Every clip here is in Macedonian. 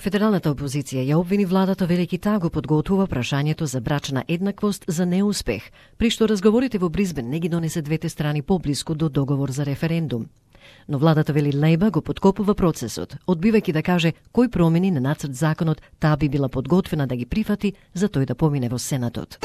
Федералната опозиција ја обвини владата велики таа го подготвува прашањето за брачна еднаквост за неуспех, при што разговорите во Бризбен не ги донесе двете страни поблиску до договор за референдум. Но владата вели Лејба го подкопува процесот, одбивајќи да каже кои промени на нацрт законот таа би била подготвена да ги прифати за тој да помине во Сенатот.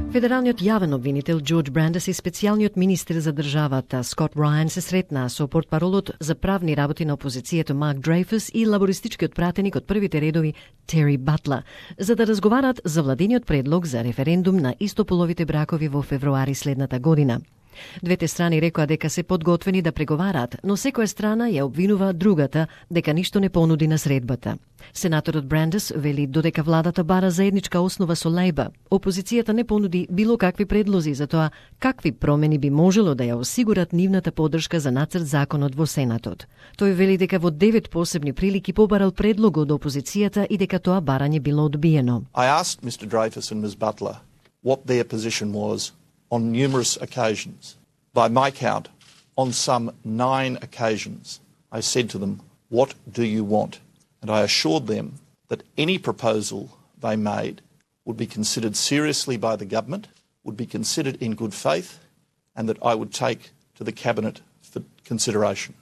Федералниот јавен обвинител Џорџ Брандес и специјалниот министер за државата Скот Рајан се сретнаа со портпаролот за правни работи на опозицијата Марк Дрейфус и лабористичкиот пратеник од првите редови Тери Батла, за да разговараат за владиниот предлог за референдум на истополовите бракови во февруари следната година. Двете страни рекоа дека се подготвени да преговараат, но секоја страна ја обвинува другата дека ништо не понуди на средбата. Сенаторот Брандес вели додека владата бара заедничка основа со Лејба, опозицијата не понуди било какви предлози за тоа какви промени би можело да ја осигурат нивната поддршка за нацрт законот во Сенатот. Тој вели дека во 9 посебни прилики побарал предлог од опозицијата и дека тоа барање било одбиено. I asked Mr. Dreyfus and Ms. Butler what their position was on numerous occasions. By my count, on some 9 occasions, I said to them, "What do you want?" And I assured them that any proposal they made would be considered seriously by the government, would be considered in good faith, and that I would take to the Cabinet for consideration.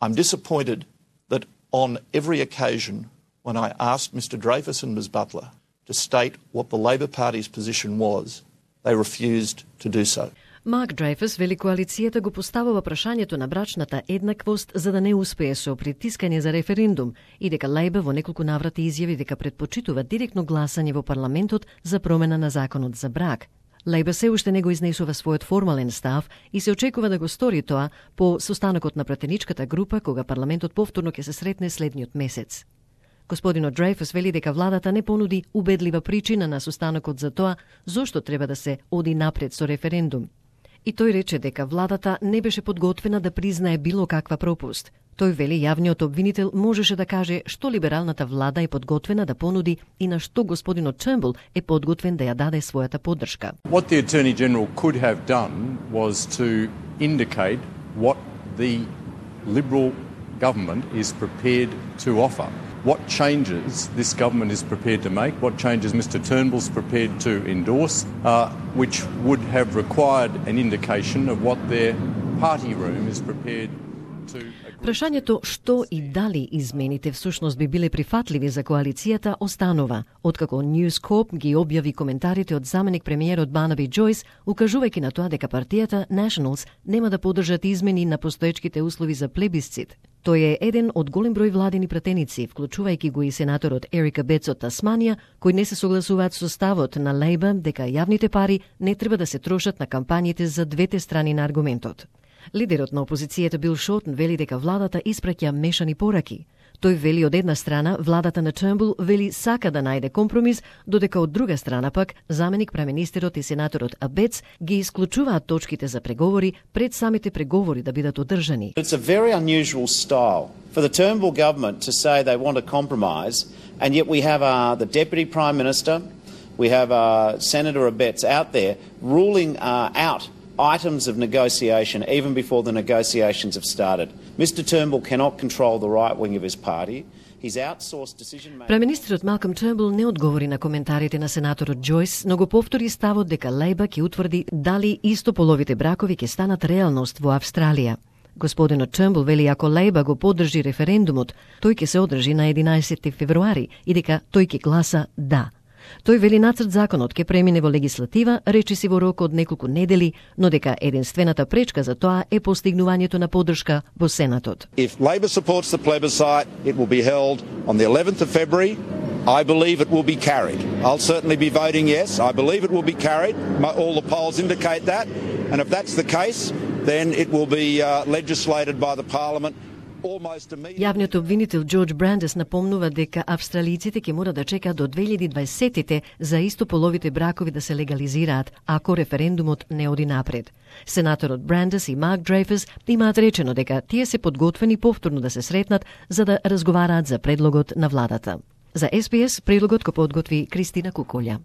I'm disappointed that on every occasion when I asked Mr. Dreyfus and Ms. Butler to state what the Labor Party's position was, they refused to do so. Марк Дрейфус вели коалицијата го поставува прашањето на брачната еднаквост за да не успее со притискање за референдум и дека Лејба во неколку наврати изјави дека предпочитува директно гласање во парламентот за промена на законот за брак. Лејба се уште не го изнесува својот формален став и се очекува да го стори тоа по состанокот на пратеничката група кога парламентот повторно ќе се сретне следниот месец. Господинот Дрейфус вели дека владата не понуди убедлива причина на состанокот за тоа зошто треба да се оди напред со референдум. И тој рече дека владата не беше подготвена да признае било каква пропуст. Тој вели јавниот обвинител можеше да каже што либералната влада е подготвена да понуди и на што господинот Turnbull е подготвен да ја даде својата поддршка. What the Attorney General could have done was to indicate what the Liberal government is prepared to offer. What changes this government is prepared to make, what changes Mr. Turnbull's prepared to endorse, which would have required an indication of what their party room is prepared to agree. Прашањето што и дали измените всушност би биле прифатливи за коалицијата останува, откако News Corp ги објави коментарите од заменик премиерот Барнаби Џојс, укажувајќи на тоа дека партијата Nationals нема да поддржат измени на постоечките услови за плебисцит. Тој е еден од голем број владени пратеници, вклучувајќи го и сенаторот Ерика Бетс од Тасманија, кои не се согласуваат со ставот на Лејба дека јавните пари не треба да се трошат на кампањите за двете страни на аргументот. Лидерот на опозицијата Бил Шортен вели дека владата испраќа мешани пораки. Тој вели од една страна владата на Turnbull вели сака да најде компромис, додека од друга страна пак заменик преминистерот и сенаторот Абец ги исклучуваат точките за преговори пред самите преговори да бидат одржани. It's a very unusual style for the Turnbull government to say they want a compromise, and yet we have the Deputy Prime Minister, we have Senator Abetz out there ruling out items of negotiation even before the negotiations have started. Mr. Turnbull cannot control the right wing of his party. He's outsourced decision making. Преминистерот Малком Turnbull не одговори на коментарите на сенаторот Џојс, но го повтори ставот дека Лејба ќе утврди дали истополовите бракови ќе станат реалност во Австралија. Господинот Turnbull вели ако Лејба го поддржи референдумот, тој ќе се одржи на 11 февруари и дека тој ќе гласа да. Тој вели нацрт законот ќе премине во легислатива, речиси во рок од неколку недели, но дека единствената пречка за тоа е постигнувањето на поддршка во Сенатот. If Labor supports the plebiscite, it will be held on the 11th of February. I believe it will be carried. I'll certainly be voting yes. I believe it will be carried. All the polls indicate that. And if that's the case, then it will be legislated by the Parliament. Јавниот обвинител Џорџ Брандес напомнува дека австралиците ќе мора да чекаат до 2020-те за истополовите бракови да се легализираат, ако референдумот не оди напред. Сенаторот Брандес и Марк Дрейфус имаат речено дека тие се подготвени повторно да се сретнат за да разговараат за предлогот на владата. За СПС предлогот го подготви Кристина Куколја.